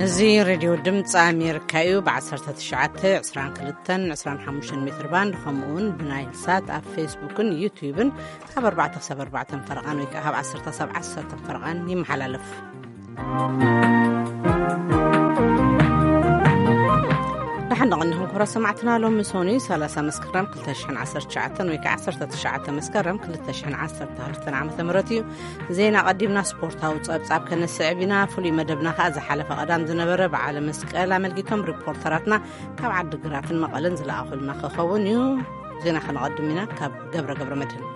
እዚ ሬድዮ ድምፂ ኣሜሪካ እዩ። ብ19፣ 22፣ 25 ሜትር ባንድ፣ ከምኡ እውን ብናይል ሳት ኣብ ፌስቡክን ዩትዩብን ካብ ኣርባዕተ ክሳብ ኣርባዕተ ፈረቓን ወይ ከዓ ካብ ዓሰርተ ክሳብ ዓሰርተ ፈረቓን ይመሓላለፍ። ደሓን ደቐኒኹም ክብራት ሰማዕትና። ሎሚ ሰኑይ ሰላሳ መስከረም ክልተ ሽሕን ዓሰርተ ትሽዓተን ወይ ከዓ ዓሰርተ ትሽዓተ መስከረም ክልተ ሽሕን ዓሰርተ ክልተን ዓመተ ምህረት እዩ። ዜና ቀዲምና ስፖርታዊ ጸብጻብ ከነስዕብ ኢና። ፍሉይ መደብና ከኣ ዝሓለፈ ቀዳም ዝነበረ በዓለ መስቀል ኣመልኪቶም ሪፖርተራትና ካብ ዓዲ ግራትን መቐለን ዝለኣኹልና ክኸውን እዩ። ዜና ከነቐድም ኢና ካብ ገብረ ገብረ መድህን።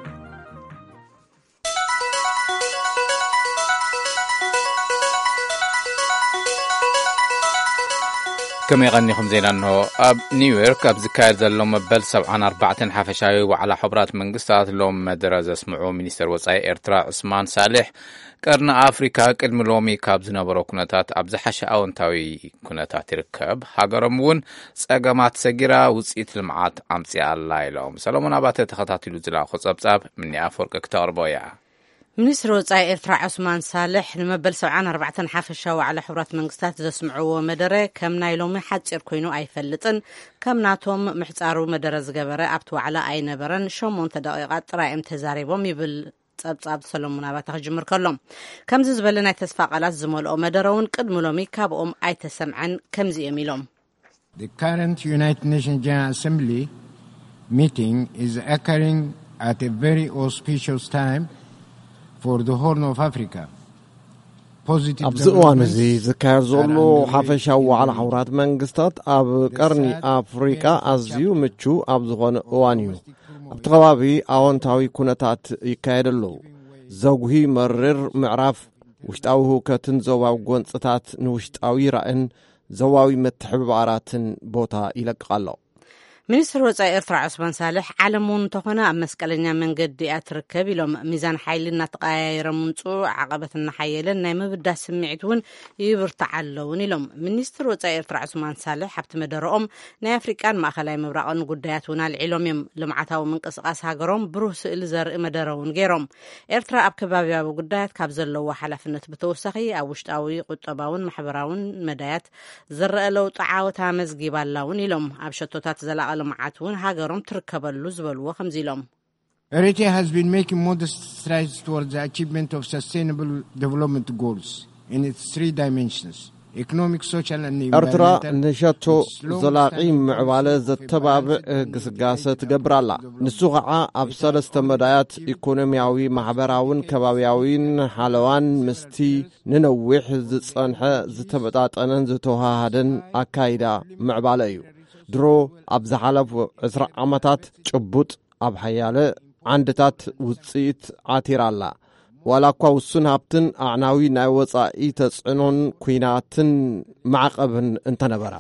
ከመይ ቀኒኹም? ዜና እንሆ። ኣብ ኒውዮርክ ኣብ ዝካየድ ዘሎ መበል ሰብዓን ኣርባዕተን ሓፈሻዊ ዋዕላ ሕቡራት መንግስታት ሎም መደረ ዘስምዑ ሚኒስተር ወጻኢ ኤርትራ ዑስማን ሳልሕ፣ ቀርኒ ኣፍሪካ ቅድሚ ሎሚ ካብ ዝነበሮ ኩነታት ኣብ ዝሓሸ ኣወንታዊ ኩነታት ይርከብ። ሃገሮም እውን ጸገማት ሰጊራ ውጽኢት ልምዓት ኣምጺኣ ኣላ ኢሎም። ሰሎሞን ኣባተ ተኸታቲሉ ዝለኣኾ ጸብጻብ ምኒ ኣፈወርቂ ክተቕርቦ እያ። ሚኒስትሪ ወጻኢ ኤርትራ ዑስማን ሳልሕ ንመበል ሰብዓን ኣርባዕተን ሓፈሻዊ ዋዕላ ሕቡራት መንግስታት ዘስምዕዎ መደረ ከም ናይ ሎሚ ሓጺር ኮይኑ ኣይፈልጥን። ከም ናቶም ምሕጻሩ መደረ ዝገበረ ኣብቲ ዋዕላ ኣይነበረን። ሸሞንተ ደቂቓት ጥራይ እዮም ተዛሪቦም ይብል ጸብጻብ ሰሎሞን ኣባተ ክጅምር ከሎ። ከምዚ ዝበለ ናይ ተስፋ ቃላት ዝመልኦ መደረ እውን ቅድሚ ሎሚ ካብኦም ኣይተሰምዐን። ከምዚ እዮም ኢሎም። The current United Nations General Assembly meeting is occurring at a very auspicious time for the Horn of Africa. Positive ኣብዚ እዋን እዚ developments ዝካየድ ዘሎ are underway ሓፈሻዊ in ዋዕላ the region. ሕቡራት መንግስታት ኣብ ቀርኒ ኣፍሪቃ ኣዝዩ ምቹ ኣብ ዝኾነ እዋን እዩ። ኣብቲ ከባቢ ኣወንታዊ ኩነታት ይካየድ ኣለዉ። ዘጉሂ መሪር ምዕራፍ ውሽጣዊ ህውከትን ዞባዊ ጎንጽታት ንውሽጣዊ ራእን ዞባዊ ምትሕብባራትን ቦታ ይለቅቕ ኣሎ። ሚኒስትር ወጻኢ ኤርትራ ዑስማን ሳልሕ፣ ዓለም እውን እንተኾነ ኣብ መስቀለኛ መንገዲ እያ ትርከብ ኢሎም። ሚዛን ሓይሊ እናተቀያየረ ምምፅኡ፣ ዓቐበት እናሓየለን ናይ ምብዳስ ስምዒት እውን ይብርትዓ ኣለውን ኢሎም። ሚኒስትር ወጻኢ ኤርትራ ዑስማን ሳልሕ ኣብቲ መደረኦም ናይ ኣፍሪቃን ማእኸላይ ምብራቕን ጉዳያት እውን ኣልዒሎም እዮም። ልምዓታዊ ምንቅስቃስ ሃገሮም ብሩህ ስእሊ ዘርኢ መደረ እውን ገይሮም። ኤርትራ ኣብ ከባቢያዊ ጉዳያት ካብ ዘለዎ ሓላፍነት ብተወሳኺ ኣብ ውሽጣዊ ቁጠባውን ማሕበራውን መዳያት ዝረአ ለውጢ ዓወት ኣመዝጊባ ኣላ እውን ኢሎም። ኣብ ሸቶታት ዘላቒ ልምዓት እውን ሃገሮም ትርከበሉ ዝበልዎ ከምዚ ኢሎም። Eritrea has been making modest strides towards the achievement of sustainable development goals in its three dimensions: economic, social, and ኤርትራ environmental. ንሸቶ ዘላቒ ምዕባለ ዘተባብዕ ግስጋሰ ትገብር ኣላ። ንሱ ኸዓ ኣብ ሰለስተ መዳያት፣ ኢኮኖሚያዊ፣ ማሕበራውን ከባቢያዊን ሓለዋን፣ ምስቲ ንነዊሕ ዝጸንሐ ዝተመጣጠነን ዝተወሃሃደን ኣካይዳ ምዕባለ እዩ። ድሮ ኣብ ዝሓለፉ ዕስራ ዓመታት ጭቡጥ ኣብ ሓያለ ዓንድታት ውጽኢት ዓቲራ ኣላ። ዋላ እኳ ውሱን ሃብትን ኣዕናዊ ናይ ወጻኢ ተጽዕኖን ኲናትን ማዕቐብን እንተነበራ።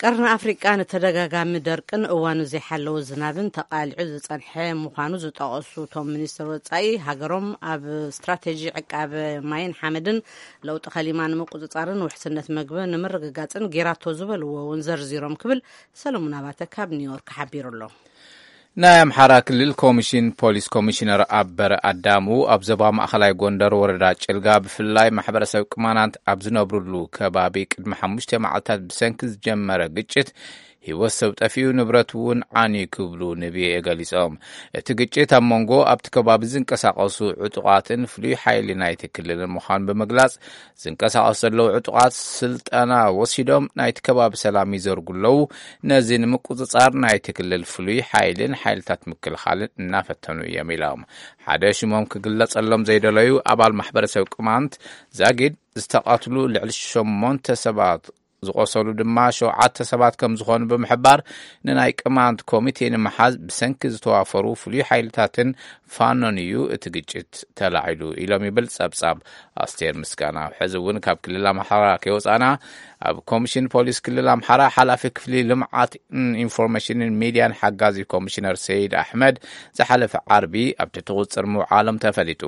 ቀርኒ ኣፍሪቃ ንተደጋጋሚ ደርቅን እዋኑ ዘይሓለወ ዝናብን ተቓሊዑ ዝጸንሐ ምዃኑ ዝጠቐሱ እቶም ሚኒስትር ወጻኢ፣ ሃገሮም ኣብ ስትራቴጂ ዕቃበ ማይን ሓመድን ለውጢ ከሊማ ንምቁጽጻርን ውሕስነት መግቢ ንምርግጋጽን ጌራቶ ዝበልዎ እውን ዘርዚሮም ክብል ሰለሙን ኣባተ ካብ ኒውዮርክ ሓቢሩ ኣሎ። ናይ ኣምሓራ ክልል ኮሚሽን ፖሊስ ኮሚሽነር ኣበረ ኣዳሙ ኣብ ዞባ ማእኸላይ ጎንደር ወረዳ ጭልጋ ብፍላይ ማሕበረሰብ ቅማናት ኣብ ዝነብሩሉ ከባቢ ቅድሚ ሓሙሽተ መዓልታት ብሰንኪ ዝጀመረ ግጭት ህይወት ሰብ ጠፊኡ፣ ንብረት እውን ዓንዩ ክብሉ ንቪኦኤ ገሊጾም። እቲ ግጭት ኣብ መንጎ ኣብቲ ከባቢ ዝንቀሳቐሱ ዕጡቓትን ፍሉይ ሓይሊ ናይቲ ክልልን ምዃኑ ብምግላጽ፣ ዝንቀሳቐሱ ዘለዉ ዕጡቓት ስልጠና ወሲዶም ናይቲ ከባቢ ሰላም ይዘርጉ ኣለዉ። ነዚ ንምቁጽጻር ናይቲ ክልል ፍሉይ ሓይልን ሓይልታት ምክልኻልን እናፈተኑ እዮም ኢሎም። ሓደ ሽሞም ክግለጸሎም ዘይደለዩ ኣባል ማሕበረሰብ ቅማንት ዛጊድ ዝተቐትሉ ልዕሊ ሸሞንተ ሰባት፣ ዝቖሰሉ ድማ ሸውዓተ ሰባት ከም ዝኾኑ ብምሕባር፣ ንናይ ቅማንት ኮሚቴ ንምሓዝ ብሰንኪ ዝተዋፈሩ ፍሉይ ሓይልታትን ፋኖን እዩ እቲ ግጭት ተላዒሉ ኢሎም ይብል ጸብጻብ ኣስቴር ምስጋና። ሕዚ እውን ካብ ክልል ኣምሓራ ከይወጻና፣ ኣብ ኮሚሽን ፖሊስ ክልል ኣምሓራ ሓላፊ ክፍሊ ልምዓት ኢንፎርሜሽንን ሚድያን ሓጋዚ ኮሚሽነር ሰይድ ኣሕመድ ዝሓለፈ ዓርቢ ኣብ ትሕቲ ቁጽጥር ምውዓሎም ተፈሊጡ።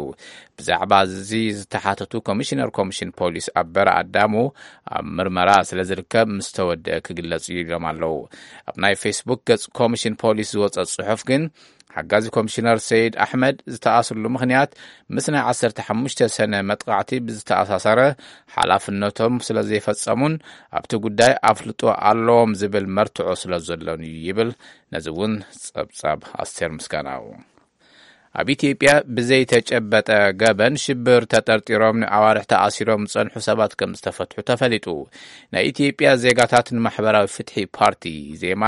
ብዛዕባ እዚ ዝተሓተቱ ኮሚሽነር ኮሚሽን ፖሊስ ኣበረ ኣዳሙ፣ ኣብ ምርመራ ስለ ዝርከብ ምስ ተወደአ ክግለጽ እዩ ኢሎም ኣለዉ። ኣብ ናይ ፌስቡክ ገጽ ኮሚሽን ፖሊስ ዝወጸ ጽሑፍ ግን፣ ሓጋዚ ኮሚሽነር ሰይድ ኣሕመድ ዝተኣስርሉ ምኽንያት ምስ ናይ ዓሰርተ ሓሙሽተ ሰነ መጥቓዕቲ ብዝተኣሳሰረ ሓላፍነቶም ስለ ዘይፈጸሙን ኣብቲ ጉዳይ ኣፍልጦ ኣለዎም ዝብል መርትዖ ስለ ዘሎን እዩ ይብል። ነዚ እውን ጸብጻብ ኣስቴር ምስጋናው። ኣብ ኢትዮጵያ ብዘይተጨበጠ ገበን ሽብር ተጠርጢሮም ንኣዋርሕ ተኣሲሮም ዝጸንሑ ሰባት ከም ዝተፈትሑ ተፈሊጡ። ናይ ኢትዮጵያ ዜጋታት ንማሕበራዊ ፍትሒ ፓርቲ ዜማ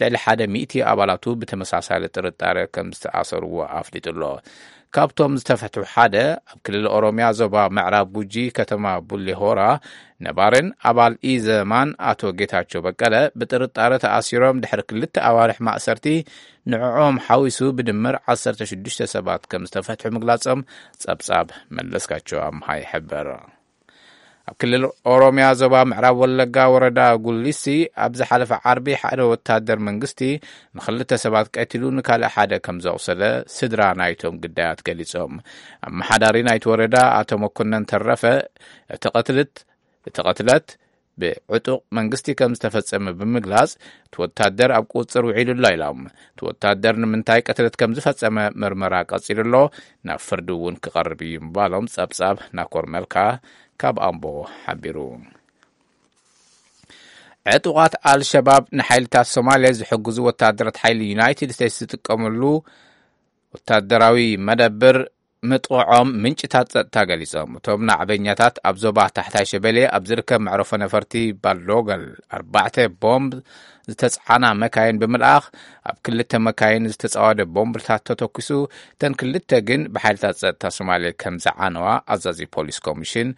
ልዕሊ ሓደ ሚእቲ ኣባላቱ ብተመሳሳሊ ጥርጣረ ከም ዝተኣሰርዎ ኣፍሊጡ ኣሎ። ካብቶም ዝተፈትሑ ሓደ ኣብ ክልል ኦሮሚያ ዞባ ምዕራብ ጉጂ ከተማ ቡሌ ሆራ ነባርን ኣባል ኢዘማን ኣቶ ጌታቸው በቀለ ብጥርጣረ ተኣሲሮም ድሕሪ ክልተ ኣዋርሕ ማእሰርቲ ንዕኦም ሓዊሱ ብድምር ዓሰርተ ሽዱሽተ ሰባት ከም ዝተፈትሑ ምግላጾም ጸብጻብ መለስካቸው ኣምሃ ይሕብር። ኣብ ክልል ኦሮሚያ ዞባ ምዕራብ ወለጋ ወረዳ ጉሊሲ ኣብ ዝሓለፈ ዓርቢ ሓደ ወታደር መንግስቲ ንክልተ ሰባት ቀቲሉ ንካልእ ሓደ ከም ዘቑሰለ ስድራ ናይቶም ግዳያት ገሊጾም። ኣመሓዳሪ ናይቲ ወረዳ ኣቶ መኮነን ተረፈ እቲ ቅትልት እቲ ቅትለት ብዕጡቕ መንግስቲ ከም ዝተፈጸመ ብምግላጽ እቲ ወታደር ኣብ ቁጽር ውዒሉ ኣሎ ኢሎም። እቲ ወታደር ንምንታይ ቅትለት ከም ዝፈጸመ ምርመራ ቀጺሉ ኣሎ፣ ናብ ፍርዲ እውን ክቐርብ እዩ ምባሎም ጸብጻብ ናኮር መልካ ካብ ኣምቦ ሓቢሩ። ዕጡቓት ኣልሸባብ ንሓይልታት ሶማልያ ዝሕግዙ ወታደራት ሓይሊ ዩናይትድ ስቴትስ ዝጥቀመሉ ወታደራዊ መደብር ምጥቕዖም ምንጭታት ጸጥታ ገሊጾም። እቶም ናዕበኛታት ኣብ ዞባ ታሕታይ ሸበሌ ኣብ ዝርከብ መዕረፎ ነፈርቲ ባልዶገል ኣርባዕተ ቦምብ ዝተጽዓና መካይን ብምልኣኽ ኣብ ክልተ መካይን ዝተጻወደ ቦምብታት ተተኩሱ፣ እተን ክልተ ግን ብሓይልታት ጸጥታ ሶማሌ ከም ዝዓነዋ ኣዛዚ ፖሊስ ኮሚሽን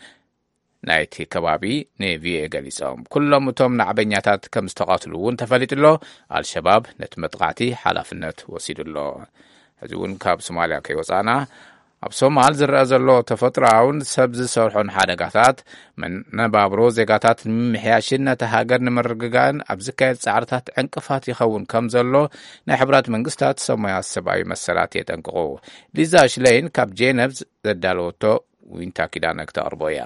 ናይቲ ከባቢ ንቪኦኤ ገሊጾም። ኩሎም እቶም ናዕበኛታት ከም ዝተቐትሉ እውን ተፈሊጡ ኣሎ። ኣልሸባብ ነቲ መጥቓዕቲ ሓላፍነት ወሲዱ ኣሎ። ሕዚ እውን ካብ ሶማልያ ከይወጻና ኣብ ሶማል ዝረኣ ዘሎ ተፈጥሮኣውን ሰብ ዝሰርሖን ሓደጋታት መነባብሮ ዜጋታት ንምምሕያሽን ነቲ ሃገር ንምርግጋእን ኣብ ዝካየድ ጻዕርታት ዕንቅፋት ይኸውን ከም ዘሎ ናይ ሕብራት መንግስታት ሰማያት ሰብኣዊ መሰላት የጠንቅቑ። ሊዛ ሽለይን ካብ ጄነቭ ዘዳለወቶ ዊንታ ኪዳነ ክተቕርቦ እያ።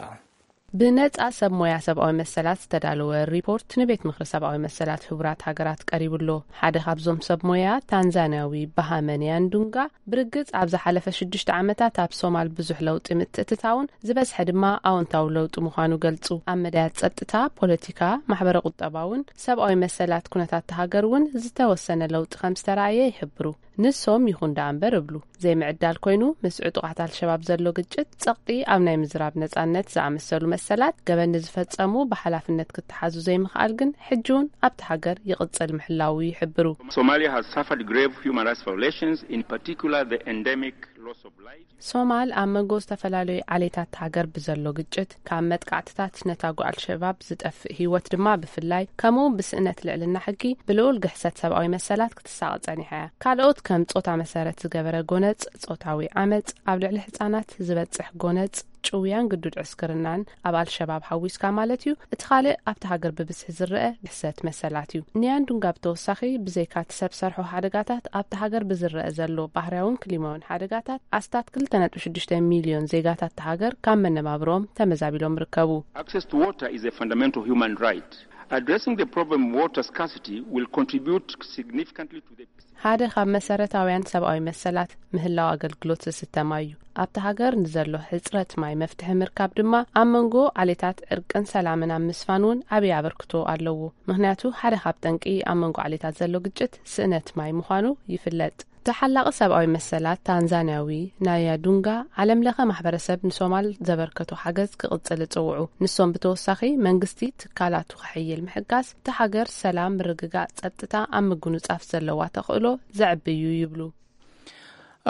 ብነጻ ሰብ ሞያ ሰብኣዊ መሰላት ዝተዳለወ ሪፖርት ንቤት ምኽሪ ሰብኣዊ መሰላት ህቡራት ሃገራት ቀሪቡ ኣሎ። ሓደ ካብዞም ሰብ ሞያ ታንዛንያዊ ባሃመንያን ዱንጋ ብርግጽ ኣብ ዝሓለፈ ሽዱሽተ ዓመታት ኣብ ሶማል ብዙሕ ለውጢ ምትእትታውን ዝበዝሐ ድማ ኣወንታዊ ለውጢ ምዃኑ ገልጹ። ኣብ መዳያት ጸጥታ፣ ፖለቲካ፣ ማሕበረ ቁጠባውን ሰብኣዊ መሰላት ኩነታት ሃገር እውን ዝተወሰነ ለውጢ ከም ዝተራእየ ይሕብሩ። ንሶም ይኹን ደኣ እምበር እብሉ ዘይምዕዳል ኮይኑ ምስ ዕጡቓት ኣልሸባብ ዘሎ ግጭት ጸቕጢ ኣብ ናይ ምዝራብ ነጻነት ዝኣመሰሉ መሰላት ገበን ንዝፈጸሙ ብሓላፍነት ክተሓዙ ዘይምኽኣል ግን ሕጂ እውን ኣብቲ ሃገር ይቕጽል ምሕላዉ ይሕብሩ። Somalia has suffered grave human rights violations, in particular the endemic loss of life. ሶማል ኣብ መንጎ ዝተፈላለዩ ዓሌታት ሃገር ብዘሎ ግጭት ካብ መጥቃዕትታት ነታጉ ኣልሸባብ ዝጠፍእ ህይወት ድማ ብፍላይ ከምኡ እውን ብስእነት ልዕልና ሕጊ ብልዑል ግሕሰት ሰብኣዊ መሰላት ክትሳቐ ጸኒሓ እያ። ካልኦት ከም ጾታ መሰረት ዝገበረ ጎነጽ፣ ጾታዊ ዓመጽ፣ ኣብ ልዕሊ ህጻናት ዝበጽሕ ጎነጽ፣ ጭውያን ግዱድ ዕስክርናን ኣብ ኣልሸባብ ሓዊስካ ማለት እዩ። እቲ ካልእ ኣብቲ ሃገር ብብዝሒ ዝረአ ግሕሰት መሰላት እዩ። ንያንዱንጋ ብተወሳኺ ብዘይካ እቲ ሰብ ሰርሖ ሓደጋታት ኣብቲ ሃገር ብዝረአ ዘሎ ባህርያውን ክሊማውን ሓደጋታት ኣስታት ክልተ ነጥቢ ሽዱሽተ ሚልዮን ዜጋታት እታ ሃገር ካብ መነባብሮም ተመዛቢሎም ይርከቡ። Access to water is a fundamental human right. Addressing the problem of water scarcity will contribute significantly to the ሓደ ካብ መሰረታውያን ሰብኣዊ መሰላት ምህላው ኣገልግሎት ዝስተ ማይ እዩ። ኣብቲ ሃገር ንዘሎ ሕጽረት ማይ መፍትሒ ምርካብ ድማ ኣብ መንጎ ዓሌታት ዕርቅን ሰላምን ኣብ ምስፋን እውን ዓብዪ ኣበርክቶ ኣለዎ። ምኽንያቱ ሓደ ካብ ጠንቂ ኣብ መንጎ ዓሌታት ዘሎ ግጭት ስእነት ማይ ምዃኑ ይፍለጥ። ተሓላቒ ሰብኣዊ መሰላት ታንዛንያዊ ናያ ዱንጋ ዓለም ለኸ ማሕበረሰብ ንሶማል ዘበርከቶ ሓገዝ ክቕጽል እጽውዑ። ንሶም ብተወሳኺ መንግስቲ ትካላቱ ከሕይል ምሕጋዝ እቲ ሃገር ሰላም፣ ምርግጋእ፣ ጸጥታ ኣብ ምግንጻፍ ዘለዋ ተኽእሎ ዘዕቢ እዩ ይብሉ።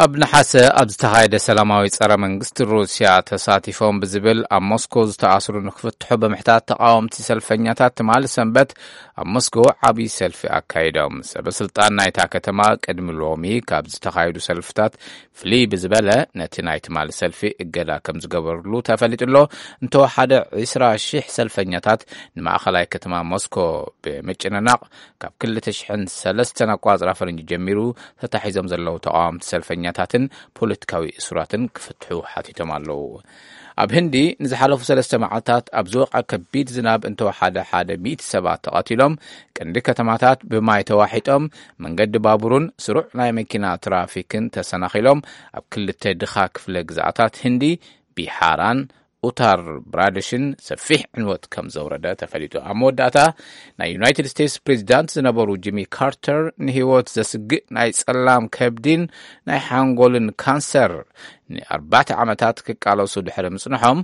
ኣብ ነሓሰ ኣብ ዝተኻየደ ሰላማዊ ጸረ መንግስቲ ሩስያ ተሳቲፎም ብዝብል ኣብ ሞስኮ ዝተኣስሩ ንክፍትሑ ብምሕታት ተቃወምቲ ሰልፈኛታት ትማሊ ሰንበት ኣብ ሞስኮ ዓብዪ ሰልፊ ኣካይዶም። ሰበ ስልጣን ናይታ ከተማ ቅድሚ ሎሚ ካብ ዝተኻየዱ ሰልፍታት ፍልይ ብዝበለ ነቲ ናይ ትማሊ ሰልፊ እገዳ ከም ዝገበርሉ ተፈሊጡ ኣሎ። እንተወሓደ ዕስራ ሺሕ ሰልፈኛታት ንማእኸላይ ከተማ ሞስኮ ብምጭንናቕ ካብ ክልተ ሽሕን ሰለስተን ኣቋጽራ ፈረንጂ ጀሚሩ ተታሒዞም ዘለዉ ተቃወምቲ ሰልፈኛ ስደተኛታትን ፖለቲካዊ እሱራትን ክፍትሑ ሓቲቶም ኣለዉ። ኣብ ህንዲ ንዝሓለፉ ሰለስተ መዓልታት ኣብ ዝወቕዐ ከቢድ ዝናብ እንተወሓደ ሓደ ሚእቲ ሰባት ተቐቲሎም፣ ቀንዲ ከተማታት ብማይ ተዋሒጦም፣ መንገዲ ባቡርን ስሩዕ ናይ መኪና ትራፊክን ተሰናኺሎም፣ ኣብ ክልተ ድኻ ክፍለ ግዝኣታት ህንዲ፣ ቢሓራን ኡታር ብራደሽን ሰፊሕ ዕንወት ከም ዘውረደ ተፈሊጡ። ኣብ መወዳእታ፣ ናይ ዩናይትድ ስቴትስ ፕሬዚዳንት ዝነበሩ ጂሚ ካርተር ንህይወት ዘስግእ ናይ ጸላም ከብዲን ናይ ሓንጎልን ካንሰር ንኣርባዕተ ዓመታት ክቃለሱ ድሕሪ ምጽንሖም፣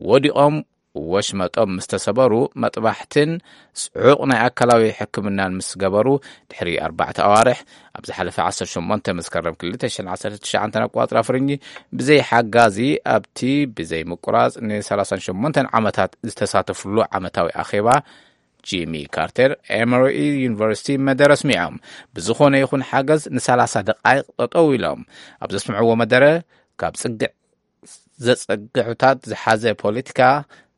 ወዲቖም ወሽመጦም ምስ ተሰበሩ፣ መጥባሕትን ጽዑቕ ናይ ኣካላዊ ሕክምናን ምስ ገበሩ፣ ድሕሪ ኣርባዕተ ኣዋርሕ፣ ኣብ ዝሓለፈ ዓሰርተ ሸሞንተ መስከረም ክልተ ሽሕን ዓሰርተ ትሽዓተን ኣቋጽራ ፍርንጂ፣ ብዘይ ሓጋዚ ኣብቲ ብዘይ ምቁራጽ ን ሰላሳን ሸሞንተን ዓመታት ዝተሳተፍሉ ዓመታዊ ኣኼባ፣ ጂሚ ካርተር ኤመሪ ዩኒቨርሲቲ መደረ ኣስሚዖም። ብዝኾነ ይኹን ሓገዝ ን ሰላሳ ደቓይቕ ጠጠው ኢሎም ኣብ ዘስምዕዎ መደረ፣ ካብ ጽግዕ ዘጸግዑታት ዝሓዘ ፖለቲካ፣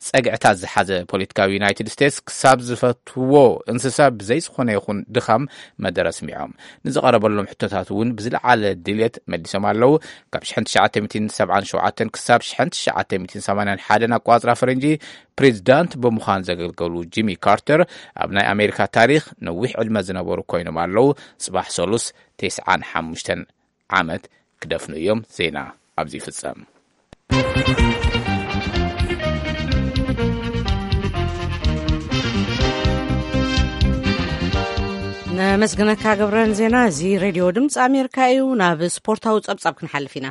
ጸግዕታት ዝሓዘ ፖለቲካዊ ዩናይትድ ስቴትስ ክሳብ ዝፈትዎ እንስሳ ብዘይ ዝኾነ ይኹን ድኻም መደረ ኣስሚዖም። ንዝቐረበሎም ሕቶታት እውን ብዝለዓለ ድልየት መሊሶም ኣለዉ። ካብ ሽሕን ትሽዓተ ሚእትን ሰብዓን ሸውዓተን ክሳብ ሽሕን ትሽዓተ ሚእትን ሰማንያን ሓደን ኣቋጽራ ፈረንጂ ፕሬዚዳንት ብምዃን ዘገልገሉ ጂሚ ካርተር ኣብ ናይ ኣሜሪካ ታሪኽ ነዊሕ ዕድመ ዝነበሩ ኮይኖም ኣለዉ። ጽባሕ ሰሉስ ተስዓን ሓሙሽተን ዓመት ክደፍኑ እዮም። ዜና ኣብዚ ይፍጸም። ነመስግነካ ገብረን ዜና። እዚ ሬድዮ ድምፂ ኣሜሪካ እዩ። ናብ ስፖርታዊ ጸብጻብ ክንሓልፍ ኢና።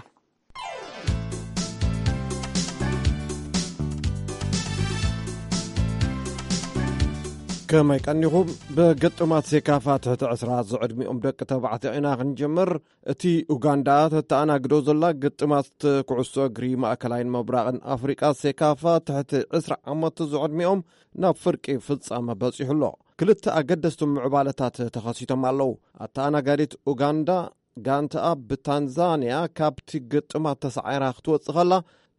ከመይ ቀኒኹም? ብግጥማት ሴካፋ ትሕቲ ዕስራ ዝዕድሚኦም ደቂ ተባዕትዮ ኢና ክንጅምር። እቲ ኡጋንዳ ተተኣናግዶ ዘላ ግጥማት ኩዕሶ እግሪ ማእከላይን ምብራቕን ኣፍሪቃ ሴካፋ ትሕቲ ዕስራ ዓመት ዝዕድሚኦም ናብ ፍርቂ ፍጻመ በጺሑ ኣሎ። ክልተ ኣገደስቲ ምዕባለታት ተኸሲቶም ኣለዉ። ኣተኣናጋዲት ኡጋንዳ ጋንታኣ ብታንዛንያ ካብቲ ግጥማት ተሳዒራ ክትወጽእ ከላ፣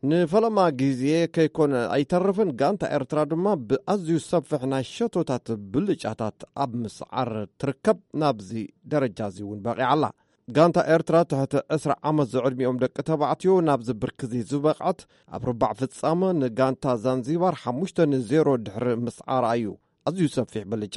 ንፈለማ ግዜ ከይኮነ ኣይተርፍን፣ ጋንታ ኤርትራ ድማ ብኣዝዩ ሰፊሕ ናይ ሸቶታት ብልጫታት ኣብ ምስዓር ትርከብ። ናብዚ ደረጃ እዚ እውን በቒዓ ኣላ። ጋንታ ኤርትራ ትሕቲ ዕስራ ዓመት ዝዕድሚኦም ደቂ ተባዕትዮ ናብዚ ብርኪ እዚ ዝበቕዐት ኣብ ርባዕ ፍጻመ ንጋንታ ዛንዚባር ሓሙሽተ ንዜሮ ድሕሪ ምስዓራ እዩ። ኣዝዩ ሰፊሕ ብልጫ።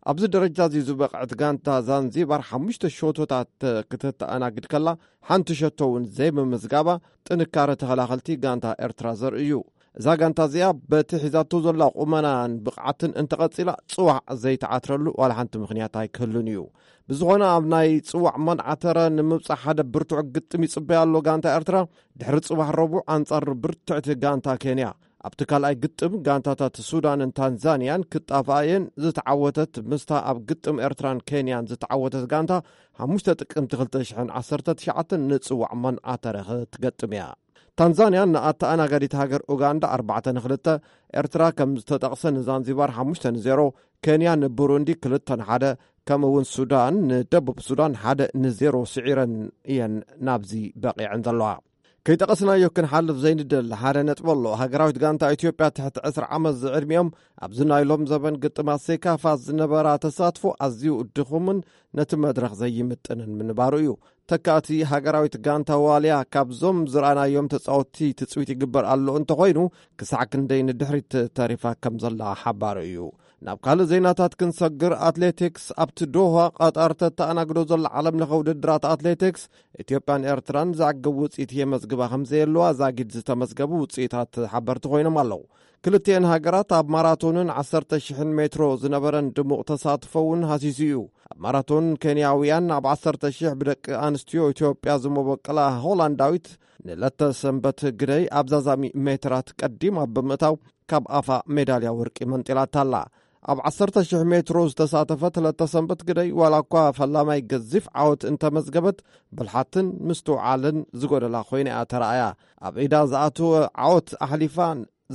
ኣብዚ ደረጃ እዚ ዝበቕዐት ጋንታ ዛንዚባር ሓሙሽተ ሸቶታት ክትተኣናግድ ከላ፣ ሓንቲ ሸቶ እውን ዘይምምዝጋባ ጥንካረ ተኸላኸልቲ ጋንታ ኤርትራ ዘርኢ እዩ። እዛ ጋንታ እዚኣ በቲ ሒዛቶ ዘላ ቁመናን ብቕዓትን እንተቐጺላ፣ ጽዋዕ ዘይትዓትረሉ ዋላ ሓንቲ ምኽንያት ኣይክህሉን እዩ። ብዝኾነ፣ ኣብ ናይ ጽዋዕ መንዓተረ ንምብጻሕ ሓደ ብርቱዕ ግጥም ይጽበያ ኣሎ ጋንታ ኤርትራ፣ ድሕሪ ጽባሕ ረቡዕ ኣንጻር ብርትዕቲ ጋንታ ኬንያ። ኣብቲ ካልኣይ ግጥም፣ ጋንታታት ሱዳንን ታንዛንያን ክጣፍኣ እየን። ዝተዓወተት ምስታ ኣብ ግጥም ኤርትራን ኬንያን ዝተዓወተት ጋንታ፣ ሓሙሽተ ጥቅምቲ ክልተ ሽሕን ዓሰርተ ትሽዓተን ንጽዋዕ መንዓተረ ክትገጥም እያ። ታንዛንያ ንኣተኣናጋዲት ሃገር ኡጋንዳ ኣርባዕተ ንክልተ፣ ኤርትራ ከም ዝተጠቕሰ ንዛንዚባር ሓሙሽተ ንዜሮ፣ ኬንያ ንቡሩንዲ ክልተ ንሓደ፣ ከምኡ እውን ሱዳን ንደቡብ ሱዳን ሓደ ንዜሮ ስዒረን እየን ናብዚ በቒዐን ዘለዋ። ከይጠቐስናዮ ክንሓልፍ ዘይንደሊ ሓደ ነጥቢ ኣሎ። ሃገራዊት ጋንታ ኢትዮጵያ ትሕቲ ዕስራ ዓመት ዝዕድሚኦም ኣብዚ ናይ ሎም ዘበን ግጥማት ሴካፋ ዝነበራ ተሳትፎ ኣዝዩ ድኹምን ነቲ መድረኽ ዘይምጥንን ምንባሩ እዩ። ተካእቲ ሃገራዊት ጋንታ ዋልያ ካብዞም ዝረኣናዮም ተጻወትቲ ትጽቢት ይግበር ኣሎ እንተኾይኑ፣ ክሳዕ ክንደይ ንድሕሪት ተሪፋ ከም ዘላ ሓባሪ እዩ። ናብ ካልእ ዜናታት ክንሰግር፣ ኣትሌቲክስ። ኣብቲ ዶሃ ቐጠር ተተኣናግዶ ዘላ ዓለምለኸ ውድድራት ኣትሌቲክስ፣ ኢትዮጵያን ኤርትራን ዘዕግብ ውጽኢት የመዝግባ ከም ዘየለዋ ዛጊድ ዝተመዝገቡ ውጽኢታት ሓበርቲ ኮይኖም ኣለዉ። ክልቲኤን ሃገራት ኣብ ማራቶንን ዓሰርተ ሽሕን ሜትሮ ዝነበረን ድሙቕ ተሳትፎ እውን ሃሲሱ እዩ። ኣብ ማራቶን ኬንያውያን ኣብ ዓሰርተ ሽሕ ብደቂ ኣንስትዮ ኢትዮጵያ ዝመበቀላ ሆላንዳዊት ንለተ ሰንበት ግደይ ኣብ ዛዛሚ ሜትራት ቀዲማ ብምእታው ካብ ኣፋ ሜዳልያ ወርቂ መንጢላታ ኣላ። ኣብ ዓሰርተ ሽሕ ሜትሮ ዝተሳተፈት ለተ ሰንበት ግደይ ዋላ እኳ ፈላማይ ገዚፍ ዓወት እንተመዝገበት፣ ብልሓትን ምስትውዓልን ዝጎደላ ኮይና እያ ተራእያ። ኣብ ኢዳ ዝኣተወ ዓወት ኣሕሊፋ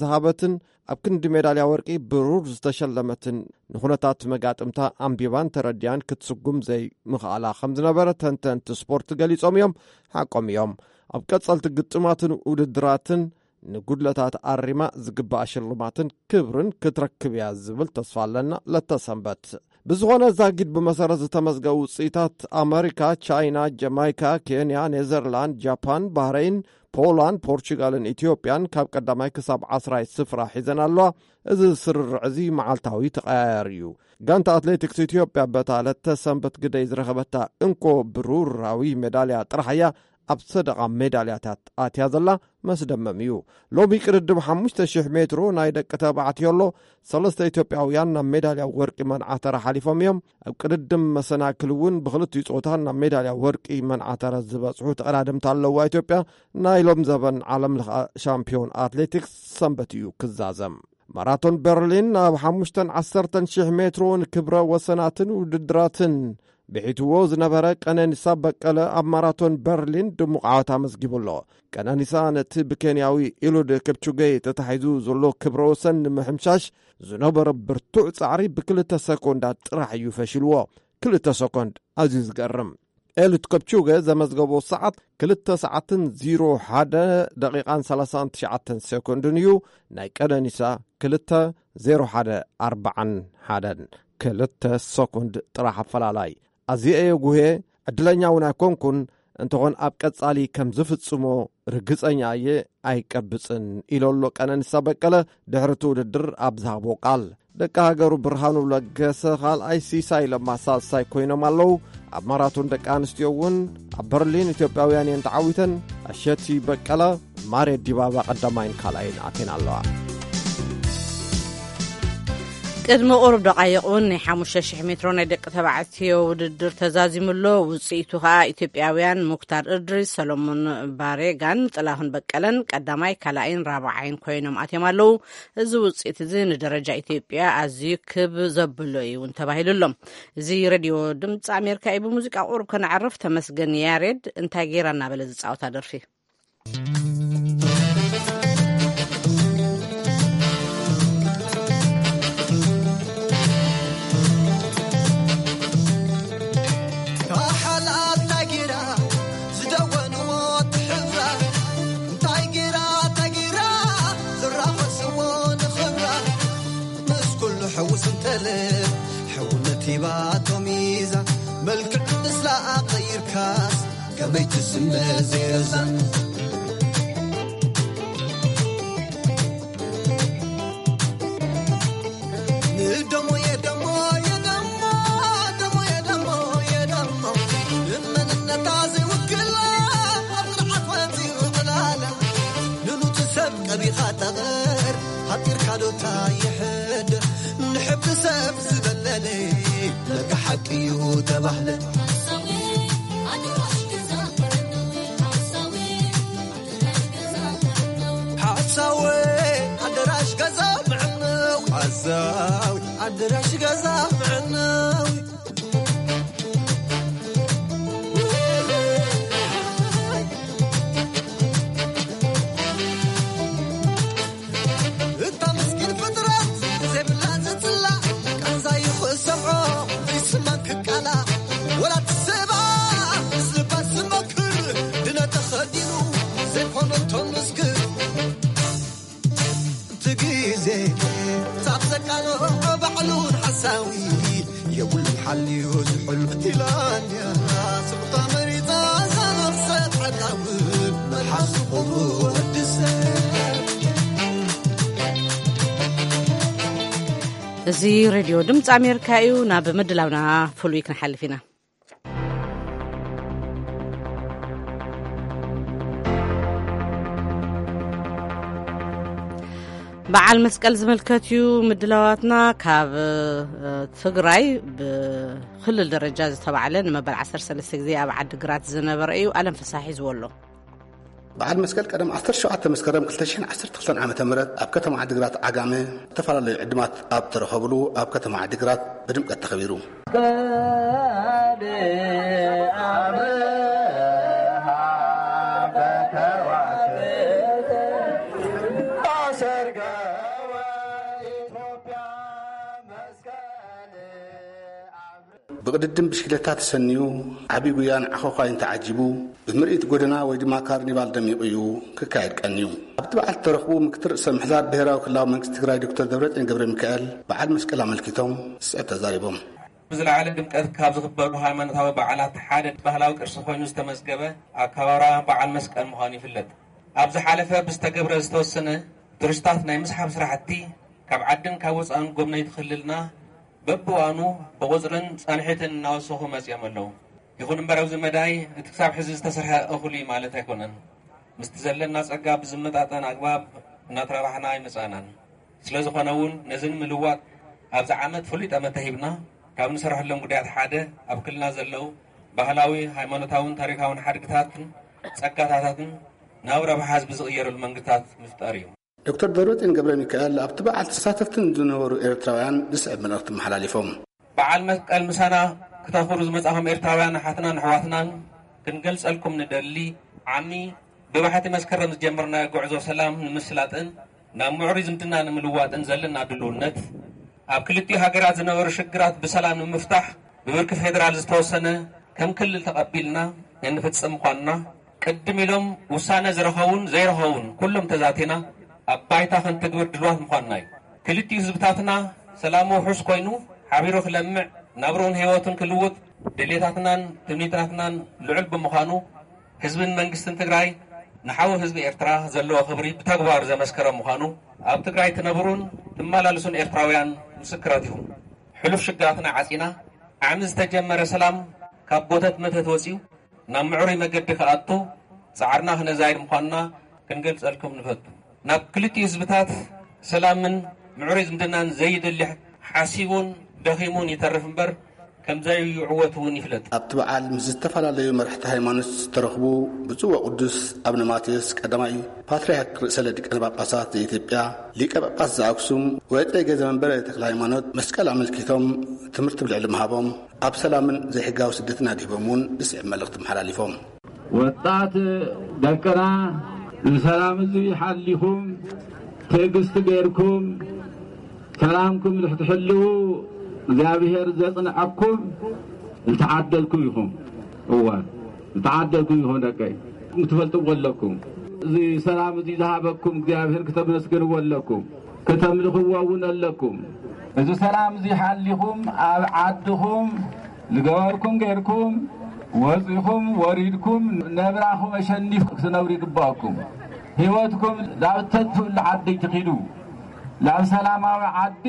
ዝሃበትን ኣብ ክንዲ ሜዳልያ ወርቂ ብሩር ዝተሸለመትን፣ ንኹነታት መጋጥምታ ኣንቢባን ተረዲያን ክትስጉም ዘይምኽኣላ ከም ዝነበረ ተንተንቲ ስፖርት ገሊጾም እዮም። ሓቆም እዮም። ኣብ ቀጸልቲ ግጥማትን ውድድራትን ንጉድለታት ኣሪማ ዝግባእ ሽልማትን ክብርን ክትረክብ እያ ዝብል ተስፋ ኣለና። ለተሰንበት ብዝኾነ ዛጊድ ብመሰረት ዝተመዝገቡ ውፅኢታት ኣመሪካ፣ ቻይና፣ ጀማይካ፣ ኬንያ፣ ኔዘርላንድ፣ ጃፓን፣ ባህረይን፣ ፖላንድ፣ ፖርቹጋልን ኢትዮጵያን ካብ ቀዳማይ ክሳብ ዓስራይ ስፍራ ሒዘን ኣለዋ። እዚ ስርርዕ እዚ መዓልታዊ ተቐያያሪ እዩ። ጋንታ ኣትሌቲክስ ኢትዮጵያ በታ ለተ ሰንበት ግደይ ዝረኸበታ እንኮ ብሩራዊ ሜዳልያ ጥራሕ እያ ኣብ ሰደቓ ሜዳልያታት ኣትያ ዘላ። መስደመም እዩ። ሎሚ ቅድድም ሓሙሽተ ሽሕ ሜትሮ ናይ ደቂ ተባዕትዮ ኣሎ። ሰለስተ ኢትዮጵያውያን ናብ ሜዳልያ ወርቂ መንዓተራ ሓሊፎም እዮም። ኣብ ቅድድም መሰናክል እውን ብክልቲኡ ጾታ ናብ ሜዳልያ ወርቂ መንዓተራ ዝበጽሑ ተቐዳደምቲ ኣለዋ ኢትዮጵያ። ናይ ሎም ዘበን ዓለም ለኸ ሻምፒዮን ኣትሌቲክስ ሰንበት እዩ ክዛዘም። ማራቶን በርሊን ኣብ ሓሙሽተን ዓሰርተን ሽሕ ሜትሮ ንክብረ ወሰናትን ውድድራትን ብሒትዎ ዝነበረ ቀነኒሳ በቀለ ኣብ ማራቶን በርሊን ድሙቕ ዓወት ኣመዝጊቡ ኣሎ። ቀነኒሳ ነቲ ብኬንያዊ ኢሉድ ክፕቹጌ ተታሒዙ ዘሎ ክብረ ወሰን ንምሕምሻሽ ዝነበረ ብርቱዕ ጻዕሪ ብክልተ ሰኮንዳት ጥራሕ እዩ ፈሽልዎ። ክልተ ሰኮንድ ኣዝዩ ዝገርም። ኤሉድ ከፕቹገ ዘመዝገቦ ሰዓት ክልተ ሰዓትን ዜሮ ሓደ ደቂቓን ሰላሳን ትሽዓተን ሴኮንድን እዩ። ናይ ቀነኒሳ ክልተ ዜሮ ሓደ ኣርባዓን ሓደን፣ ክልተ ሰኮንድ ጥራሕ ኣፈላላይ። ኣዝየ እየ ጉህየ፣ ዕድለኛ እውን ኣይኮንኩን። እንተኾን ኣብ ቀጻሊ ከም ዝፍጽሞ ርግጸኛ እየ፣ ኣይቀብጽን ኢሉ ኣሎ ቀነኒሳ በቀለ ድሕሪ እቲ ውድድር ኣብ ዝሃቦ ቃል። ደቂ ሃገሩ ብርሃኑ ለገሰ ካልኣይ፣ ሲሳይ ለማ ሳልሳይ ኮይኖም ኣለዉ። ኣብ ማራቶን ደቂ ኣንስትዮ እውን ኣብ በርሊን ኢትዮጵያውያን እየን ተዓዊተን። ኣሸቲ በቀለ፣ ማሬ ዲባባ ቀዳማይን ካልኣይን ኣቴን ኣለዋ። ቅድሚ ቁሩብ ደቓይቕ እውን ናይ ሓሙሽተ ሽሕ ሜትሮ ናይ ደቂ ተባዕትዮ ውድድር ተዛዚሙ ኣሎ። ውጽኢቱ ከኣ ኢትዮጵያውያን ሙክታር እድሪስ፣ ሰሎሞን ባሬጋን ጥላሁን በቀለን ቀዳማይ፣ ካልኣይን ራብዓይን ኮይኖም ኣትዮም ኣለዉ። እዚ ውጽኢት እዚ ንደረጃ ኢትዮጵያ ኣዝዩ ክብ ዘብሎ እዩ እውን ተባሂሉ ኣሎ። እዚ ሬድዮ ድምፂ ኣሜሪካ እዩ። ብሙዚቃ ቁሩብ ከነዕርፍ። ተመስገን ያሬድ እንታይ ጌራ እናበለ ዝፃወታ ደርፊ። ካሓልኣት እንታይ ጌራ ዝደወንዎ ትሕብራ፣ እንታይ ጌራ እንታይ ጌራ ዝራኸስዎ ንኽብራ፣ ምስ ኩሉ ሕውስ እንተለ ሕውነት ሂባቶ ሚዛ፣ መልክዕ ምስላ ኣቐይርካስ ከመይ ትስመ ዘይረዛን። ንደሞ የደሞ የደሞ፣ ደሞ የደሞ የደሞ፣ ንመንነታ ዘይውክላ ኣብ ስርዓት ወፂኡ ዕላላ። ንኑቲ ሰብ ቀቢኻ ጠቐር፣ ሃጢርካ ዶታ ይሕድር፣ ንሕብሪ ሰብ ዝበለለ ለካ ሓቂ እዩ ተባህለ። ሓሳዊ ኣደራሽ ገዛ ምዕነው፣ ሓሳዊ ኣደራሽ ገዛ ምዕነው። እታ ምስኪን ፍጥረት ዘይብላ ዝጽላእ፣ ቃንዛ ይኽሰምዖ ዘይስማን ክቃላ፣ ወላ ትስባ ምስ ልባ ዝመክር፣ ድነ ተኸዲኑ ዘይኮነቶ ምስክር። እቲ ግዜ ሳብ ዘቃልዖ ባዕሉን ሓሳዊ የብሉን ሓልዩ ዝሕሉ። ኢላንያ ስቕታ መሪጻ እዛ ነፍሰ ጻዕራዊ መልሓስ ክብሩ ወዲ ሰብ። እዚ ሬድዮ ድምፂ ኣሜሪካ እዩ። ናብ ምድላውና ፍሉይ ክንሓልፍ ኢና። በዓል መስቀል ዝምልከት እዩ ምድላዋትና። ካብ፣ እ፣ ትግራይ ብክልል ደረጃ ዝተባዕለ ንመበል ዓሰርተ ሰለስተ ግዜ ኣብ ዓዲግራት ዝነበረ እዩ። ኣለም ፍሳሕ ሒዝዎ ኣሎ። በዓል መስቀል ቀደም ዓሰርተ ሸውዓተ መስከረም ክልተ ሽሕን ዓሰርተ ክልተን ዓመተ ምህረት ኣብ ከተማ ዓዲግራት ዓጋመ ዝተፈላለዩ ዕድማት ኣብ ተረኸብሉ ኣብ ከተማ ዓዲግራት ብድምቀት ተኸቢሩ። ብቕድድም ብሽክለታ ተሰንዩ፣ ዓቢ ጉያን ዓኾዃይን ተዓጂቡ፣ ብምርኢት ጎደና ወይ ድማ ካርኒቫል ደሚቑ እዩ ክካየድ ቀንዩ። ኣብቲ በዓል ዝተረኽቡ ምክትል ርእሰ ምሕዳር ብሄራዊ ክልላዊ መንግስቲ ትግራይ ዶክተር ደብረጽዮን ገብረ ሚካኤል በዓል መስቀል ኣመልኪቶም ስዕብ ተዛሪቦም። ብዝለዓለ ድምቀት ካብ ዝኽበሩ ሃይማኖታዊ በዓላት ሓደ ባህላዊ ቅርሲ ኮይኑ ዝተመዝገበ ኣከባብራ በዓል መስቀል ምዃኑ ይፍለጥ። ኣብ ዝሓለፈ ብዝተገብረ ዝተወሰነ ቱሪስታት ናይ ምስሓብ ስራሕቲ ካብ ዓድን ካብ ወፃእን ጎብነይቲ ክልልና በብዋኑ ብቑፅርን ፃንሒትን እናወሰኹ መፂኦም ኣለዉ። ይኹን እምበር ኣብዚ መዳይ እቲ ክሳብ ሕዚ ዝተሰርሐ እኹል እዩ ማለት ኣይኮነን። ምስቲ ዘለና ጸጋ ብዝመጣጠን ኣግባብ እናተራባሕና ኣይመጻእናን። ስለ ዝኾነ እውን ነዚ ንምልዋጥ ኣብዚ ዓመት ፍሉይ ጠመተ ሂብና ካብ ንሰርሐሎም ጉዳያት ሓደ ኣብ ክልና ዘለዉ ባህላዊ፣ ሃይማኖታውን ታሪካውን ሓድግታትን ጸጋታታትን ናብ ረብሓ ህዝቢ ዝቕየረሉ መንገድታት ምፍጣር እዩ። ዶክተር ደብረጽዮን ገብረ ሚካኤል ኣብቲ በዓል ተሳተፍትን ዝነበሩ ኤርትራውያን ዝስዕብ መልእኽቲ መሓላሊፎም። በዓል መስቀል ምሳና ክተኽብሩ ዝመጻኹም ኤርትራውያን ኣሓትናን ኣሕዋትናን ክንገልጸልኩም ንደሊ ዓሚ ብባሕቲ መስከረም ዝጀመርናዮ ጉዕዞ ሰላም ንምስላጥን ናብ ምዕሩይ ዝምድና ንምልዋጥን ዘለና ድልውነት ኣብ ክልቲኡ ሃገራት ዝነበሩ ሽግራት ብሰላም ንምፍታሕ ብብርኪ ፌደራል ዝተወሰነ ከም ክልል ተቐቢልና እንፍጽም ምዃንና ቅድም ኢሎም ውሳነ ዝረኸቡን ዘይረኸቡን ኩሎም ተዛቲና ኣብ ባይታ ክንትግብር ድልዋት ምዃንና እዩ። ክልቲኡ ህዝብታትና ሰላሙ ውሑስ ኮይኑ ሓቢሩ ክለምዕ ናብርኡን ህይወቱን ክልውጥ ድሌታትናን ትምኒትናትናን ልዑል ብምዃኑ ህዝብን መንግስትን ትግራይ ንሓው ህዝቢ ኤርትራ ዘለዎ ክብሪ ብተግባር ዘመስከረ ምዃኑ ኣብ ትግራይ ትነብሩን ትመላልሱን ኤርትራውያን ምስክራት ኢኹም። ሕሉፍ ሽግራትና ዓጺና ዓሚ ዝተጀመረ ሰላም ካብ ጎተት መተት ወጺኡ ናብ ምዕሩይ መገዲ ክኣቱ ጻዕርና ክነዛይድ ምዃንና ክንገልጸልኩም ንፈቱ። ናብ ክልቲኡ ህዝብታት ሰላምን ምዕሩይ ዝምድናን ዘይደሊ ሓሲቡን ደኺሙን ይተርፍ እምበር ከም ዘይዕወት እውን ይፍለጥ። ኣብቲ በዓል ምስ ዝተፈላለዩ መራሕቲ ሃይማኖት ዝተረኽቡ ብፁዕ ወቅዱስ ኣብነ ማቴዎስ ቀዳማይ ፓትርያርክ ርእሰ ሊቃነ ጳጳሳት ዘኢትዮጵያ ሊቀ ጳጳስ ዘኣክሱም ወእጨጌ ዘመንበረ ተክለ ሃይማኖት መስቀል ኣመልኪቶም ትምህርቲ ብልዕሊ ምሃቦም ኣብ ሰላምን ዘይሕጋዊ ስደትን ኣድሂቦም እውን ዝስዕብ መልእኽቲ መሓላሊፎም። ወጣት ደቅና ንሰላም እዚ ሓሊኹም ትዕግስቲ ገይርኩም ሰላምኩም ክትሕልዉ እግዚኣብሔር ዘጽንዐኩም ዝተዓደልኩም ኢኹም። እወ ዝተዓደልኩም ኢኹም ደቀይ። ክትፈልጥዎ ኣለኩም። እዚ ሰላም እዚ ዝሃበኩም እግዚኣብሔር ክተመስግንዎ ኣለኩም። ከተምልኽዎ እውን ኣለኩም። እዚ ሰላም እዚ ሓሊኹም ኣብ ዓድኹም ዝገበርኩም ገይርኩም ወፂኹም ወሪድኩም ነብራኹም ኣሸኒፍ ክትነብሩ ይግባእኩም። ህይወትኩም ናብ ተጥፍእሉ ዓዲ ትኺዱ። ናብ ሰላማዊ ዓዲ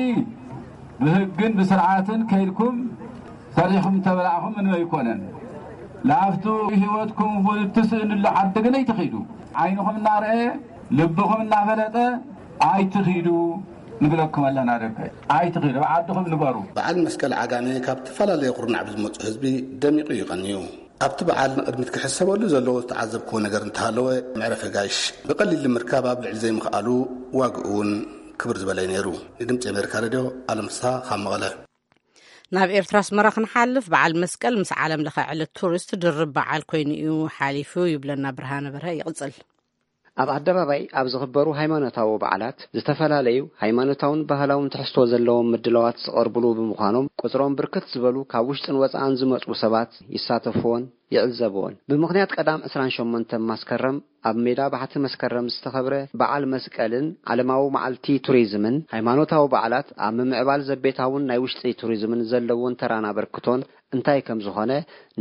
ብህግን ብስርዓትን ከይድኩም ሰሪሕኩም ተበላዕኹም ምንም ኣይኮነን። ላፍቱ ህይወትኩም እውን እትስእንሉ ዓዲ ግን ኣይትኺዱ። ዓይንኹም እናረአ ልብኹም እናፈለጠ ኣይትኺዱ ንብለኩም ኣለና ደቀይ። ኣይትኺዱ፣ ኣብ ዓድኹም ንበሩ። በዓል መስቀል ዓጋመ ካብ ተፈላለየ ኩርናዕ ብዝመፁ ህዝቢ ደሚቑ እዩ ቀንዩ። ኣብቲ በዓል ንቕድሚት ክሕሰበሉ ዘለዎ ዝተዓዘብክዎ ነገር እንተሃለወ መዕረፊ ጋሽ ብቐሊል ንምርካብ ኣብ ልዕሊ ዘይምኽኣሉ ዋግኡ እውን ክብር ዝበለ እዩ ነይሩ። ንድምፂ ኣሜሪካ ሬድዮ ኣለምሳ ካብ መቐለ። ናብ ኤርትራ ኣስመራ ክንሓልፍ በዓል መስቀል ምስ ዓለም ለኸ ዕለት ቱሪስት ድርብ በዓል ኮይኑ እዩ ሓሊፉ ይብለና ብርሃነ በርሀ። ይቕጽል። ኣብ ኣደባባይ ኣብ ዝኽበሩ ሃይማኖታዊ በዓላት ዝተፈላለዩ ሃይማኖታውን ባህላውን ትሕዝቶ ዘለዎም ምድላዋት ዝቐርብሉ ብምዃኖም ቁፅሮም ብርክት ዝበሉ ካብ ውሽጥን ወፃእን ዝመፁ ሰባት ይሳተፍዎን ይዕዘብዎን። ብምኽንያት ቀዳም ዕስራን ሸሞንተን ማስከረም ኣብ ሜዳ ባሕቲ መስከረም ዝተኸብረ በዓል መስቀልን ዓለማዊ መዓልቲ ቱሪዝምን፣ ሃይማኖታዊ በዓላት ኣብ ምምዕባል ዘቤታውን ናይ ውሽጢ ቱሪዝምን ዘለዎን ተራን ኣበርክቶን እንታይ ከም ዝኾነ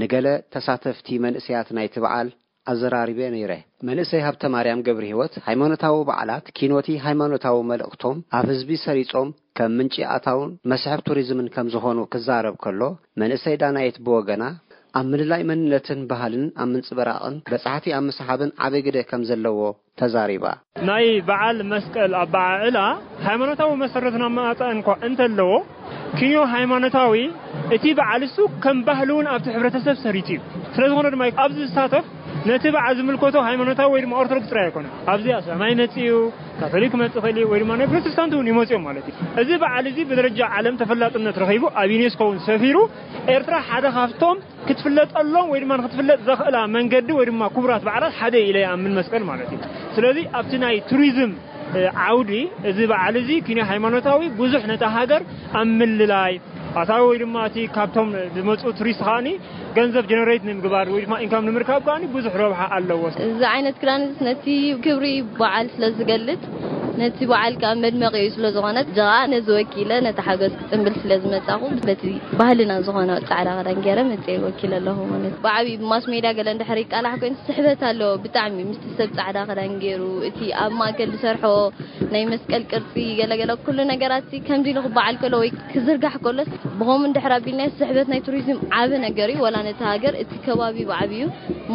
ንገለ ተሳተፍቲ መንእሰያት ናይቲ በዓል ኣዘራሪበ ነይረ። መንእሰይ ሃብተማርያም ገብረሂወት፣ ሃይማኖታዊ በዓላት ኪኖቲ ሃይማኖታዊ መልእኽቶም ኣብ ህዝቢ ሰሪጾም ከም ምንጪ ኣታውን መስሕብ ቱሪዝምን ከም ዝኾኑ ክዛረብ ከሎ፣ መንእሰይ ዳናየት ብወገና፣ ኣብ ምልላይ መንነትን ባህልን ኣብ ምንጽብራቕን በጻሕቲ ኣብ ምስሓብን ዓቢ ግደ ከም ዘለዎ ተዛሪባ። ናይ በዓል መስቀል ኣበዓዕላ ሃይማኖታዊ መሰረትን ኣመጻጽኣን እኳ እንተለዎ፣ ኪንዮ ሃይማኖታዊ እቲ በዓል እሱ ከም ባህሊ እውን ኣብቲ ሕብረተሰብ ሰሪጹ እዩ። ስለ ዝኾነ ድማ ኣብዚ ዝሳተፍ ነቲ በዓል ዝምልከቶ ሃይማኖታዊ ወይ ድማ ኦርቶዶክስ ጥራይ ኣይኮነን። ኣብዚ ኣስላማይ ይመጽእ እዩ፣ ካቶሊክ ክመጽእ ይኽእል እዩ፣ ወይ ድማ ናይ ፕሮቴስታንት እውን ይመጽኡ እዮም ማለት እዩ። እዚ በዓል እዚ ብደረጃ ዓለም ተፈላጥነት ረኺቡ ኣብ ዩኔስኮ እውን ሰፊሩ ኤርትራ ሓደ ካብቶም ክትፍለጠሎም ወይ ድማ ንክትፍለጥ ዘኽእላ መንገዲ ወይ ድማ ክቡራት በዓላት ሓደ ኢለ ይኣምን መስቀል ማለት እዩ። ስለዚ ኣብቲ ናይ ቱሪዝም ዓውዲ እዚ በዓል እዚ ኪንዮ ሃይማኖታዊ ብዙሕ ነታ ሃገር ኣብ ምልላይ ኣታዊ ወይ ድማ እቲ ካብቶም ዝመፁ ቱሪስት ከዓኒ ገንዘብ ጀነሬት ንምግባር ወይ ድማ ኢንካም ንምርካብ ከዓኒ ብዙሕ ረብሓ ኣለዎ። እዚ ዓይነት ክዳን እዚ ነቲ ክብሪ በዓል ስለ ዝገልፅ ነቲ በዓል ከዓ መድመቂኡ ስለ ዝኾነ፣ ጀቓ ነዚ ወኪለ ነቲ ሓጎስ ክጽንብል ስለ ዝመጻኹ፣ በቲ ባህልና ዝኾነ ጻዕዳ ክዳን ገይረ መጽኤ ወኪለ ኣለኹ ማለት እዩ። ብዓብዪ ብማስ ሜድያ ገለ እንድሕር ይቃላሕ ኮይኑ ስሕበት ኣለዎ ብጣዕሚ፣ ምስቲ ሰብ ጻዕዳ ክዳን ገይሩ፣ እቲ ኣብ ማእከል ዝሰርሖ ናይ መስቀል ቅርጺ፣ ገለገለ ኩሉ ነገራት ከምዚ ኢሉ ክበዓል ከሎ ወይ ክዝርጋሕ ከሎስ፣ ብኸምኡ እንድሕር ኣቢልናዮ ስሕበት ናይ ቱሪዝም ዓቢ ነገር እዩ። ዋላ ነቲ ሃገር እቲ ከባቢ ብዓብዩ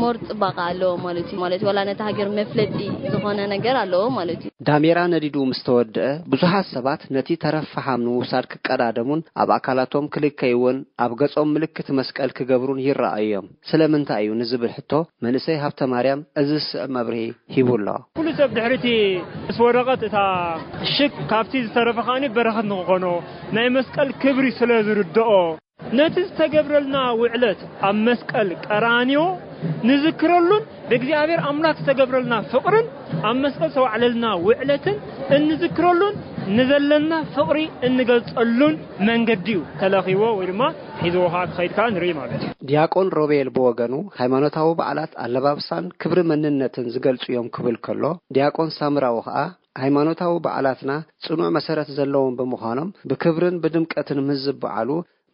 ሞር ጽባቐ ኣለዎ ማለት እዩ። ማለት ዋላ ነቲ ሃገር መፍለጢ ዝኾነ ነገር ኣለዎ ማለት እዩ። ዳሜራ ነዲዱ ምስ ተወድአ፣ ብዙሓት ሰባት ነቲ ተረፍ ፈሓም ንምውሳድ ክቀዳደሙን ኣብ ኣካላቶም ክልከይዎን ኣብ ገጾም ምልክት መስቀል ክገብሩን ይረኣዩ እዮም። ስለምንታይ እዩ ንዝብል ሕቶ፣ መንእሰይ ሃብተ ማርያም እዚ ዝስዕብ መብርሂ ሂቡ ኣሎ። ኩሉ ሰብ ድሕሪቲ ምስ ወረቐት እታ ሽክ ካብቲ ዝተረፈ ከኣኒ በረኸት ንክኾኖ ናይ መስቀል ክብሪ ስለ ዝርድኦ፣ ነቲ ዝተገብረልና ውዕለት ኣብ መስቀል ቀራንዮ ንዝክረሉን ብእግዚኣብሔር ኣምላክ ዝተገብረልና ፍቕርን ኣብ መስቀል ዝተዋዕለልና ውዕለትን እንዝክረሉን ንዘለና ፍቕሪ እንገልጸሉን መንገዲ እዩ ተለኺዎ ወይ ድማ ሒዝዎ ከዓ ክኸይድ ከዓ ንርኢ ማለት እዩ። ዲያቆን ሮቤል ብወገኑ፣ ሃይማኖታዊ በዓላት ኣለባብሳን ክብሪ መንነትን ዝገልጹ እዮም ክብል ከሎ፣ ዲያቆን ሳምራዊ ከዓ፣ ሃይማኖታዊ በዓላትና ጽኑዕ መሰረት ዘለዎም ብምዃኖም፣ ብክብርን ብድምቀትን ምስ ዝበዓሉ፣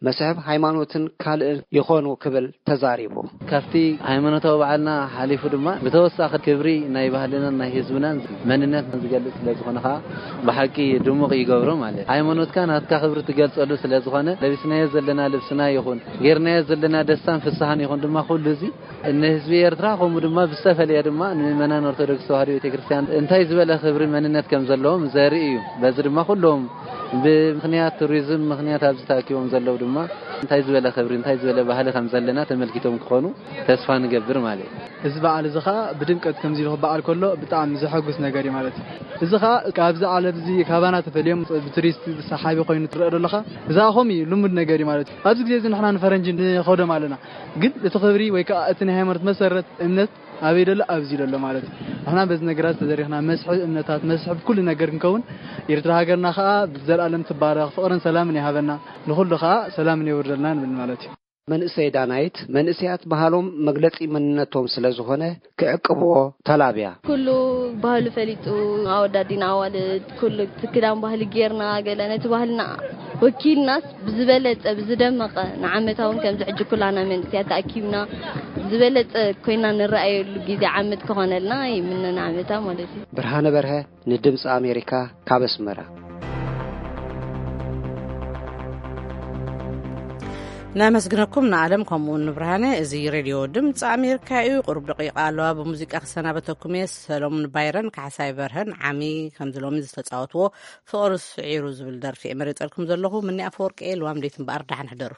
መስሕብ ሃይማኖትን ካልእን ይኾኑ ክብል ተዛሪቡ። ካብቲ ሃይማኖታዊ በዓልና ሓሊፉ ድማ፣ ብተወሳኺ ክብሪ ናይ ባህልናን ናይ ህዝብናን መንነትን ዝገልጽ ስለ ዝኾነ ከዓ፣ ብሓቂ ድሙቕ ይገብሮ ማለት እዩ። ሃይማኖትካ ናትካ ክብሪ ትገልጸሉ ስለ ዝኾነ፣ ለቢስናዮ ዘለና ልብስና ይኹን፣ ጌርናዮ ዘለና ደስታን ፍስሃን ይኹን ድማ፣ ኩሉ እዚ ንህዝቢ ኤርትራ፣ ከምኡ ድማ ብዝተፈለየ ድማ ንምእመናን ኦርቶዶክስ ተዋህዶ ቤተክርስትያን እንታይ ዝበለ ክብሪ መንነት ከም ዘለዎም ዘርኢ እዩ። በዚ ድማ ኩሎም ብምኽንያት ቱሪዝም ምኽንያት ኣብዚ ተኣኪቦም ዘለዉ ድማ እንታይ ዝበለ ክብሪ፣ እንታይ ዝበለ ባህሊ ከም ዘለና ተመልኪቶም ክኾኑ ተስፋ ንገብር ማለት እዩ። እዚ በዓል እዚ ኸኣ ብድምቀት ከምዚ ኢሉ ክበዓል ከሎ ብጣዕሚ ዘሐጉስ ነገር እዩ ማለት እዩ። እዚ ኸኣ ካብዚ ዓለም እዚ ካባና ተፈልዮም ብቱሪስት ሰሓቢ ኮይኑ ትረአ ዘለኻ፣ እዚ ኸኣ ከምኡ እዩ፣ ልሙድ ነገር እዩ ማለት እዩ። ኣብዚ ግዜ እዚ ንሕና ንፈረንጂ ንኸዶም ኣለና። ግን እቲ ክብሪ ወይ ከዓ እቲ ናይ ሃይማኖት መሰረት እምነት ኣበይ ደሎ? ኣብዚ ደሎ ማለት እዩ። ንሕና በዚ ነገራት ተደሪኽና መስሕብ እምነታት፣ መስሕብ ኩሉ ነገር ክንከውን፣ ኤርትራ ሃገርና ከዓ ብዘለኣለም ትባረኽ፣ ፍቕርን ሰላምን ይሃበና፣ ንኹሉ ከዓ ሰላምን የውርደልና ንብል ማለት እዩ። መንእሰይ ዳናይት፣ መንእሰያት ባህሎም መግለጺ መንነቶም ስለ ዝኾነ ክዕቅብዎ ተላብያ። ኩሉ ባህሉ ፈሊጡ፣ ኣወዳዲና ኣዋልድ፣ ኩሉ እቲ ክዳን ባህሊ ጌርና፣ ገለ ነቲ ባህልና ወኪልናስ ብዝበለጸ፣ ብዝደመቐ፣ ንዓመታ እውን ከምዚ ሕጂ ኩላና መንእሰያት ተኣኪብና ዝበለጸ ኮይና ንረኣየሉ ግዜ ዓመት ክኾነልና ይምነ፣ ንዓመታ ማለት እዩ። ብርሃነ በርሀ፣ ንድምፂ ኣሜሪካ፣ ካብ ኣስመራ። ነመስግነኩም ንኣለም ከምኡውን ንብርሃነ። እዚ ሬድዮ ድምፂ ኣሜሪካ እዩ። ቁሩብ ደቂቃ ኣለዋ ብሙዚቃ ክሰናበተኩም እየ። ሰሎሙን ባይረን ካሕሳይ በርሀን ዓሚ ከምዚ ሎሚ ዝተፃወትዎ ፍቕሪ ስዒሩ ዝብል ደርፊ እየ መሪፀልኩም ዘለኹ። ምኒ ኣፈወርቂ እየ። ልዋም ደይት እምበኣር ደሓን ሕደሩ።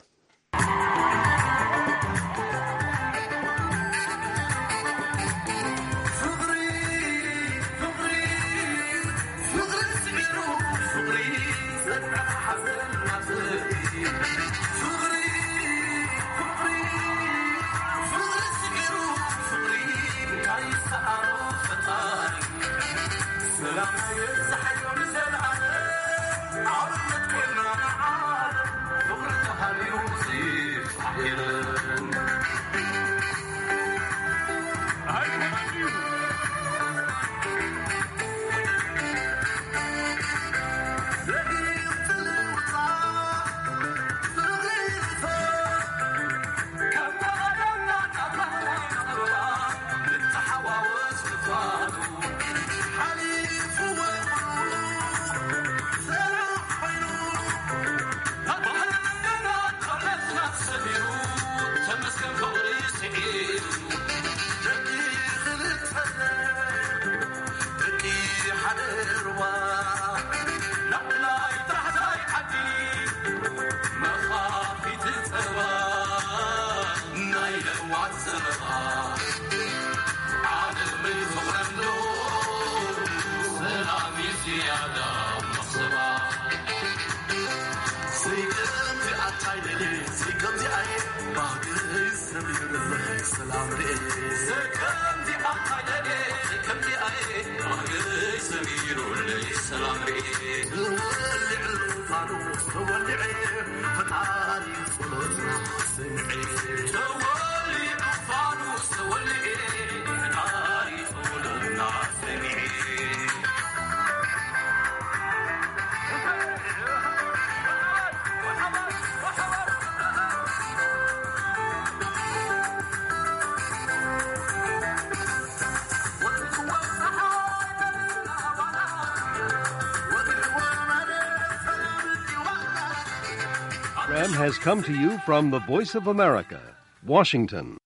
Program has come to you from the Voice of America, Washington.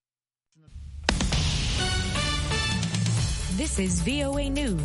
This is V O A News.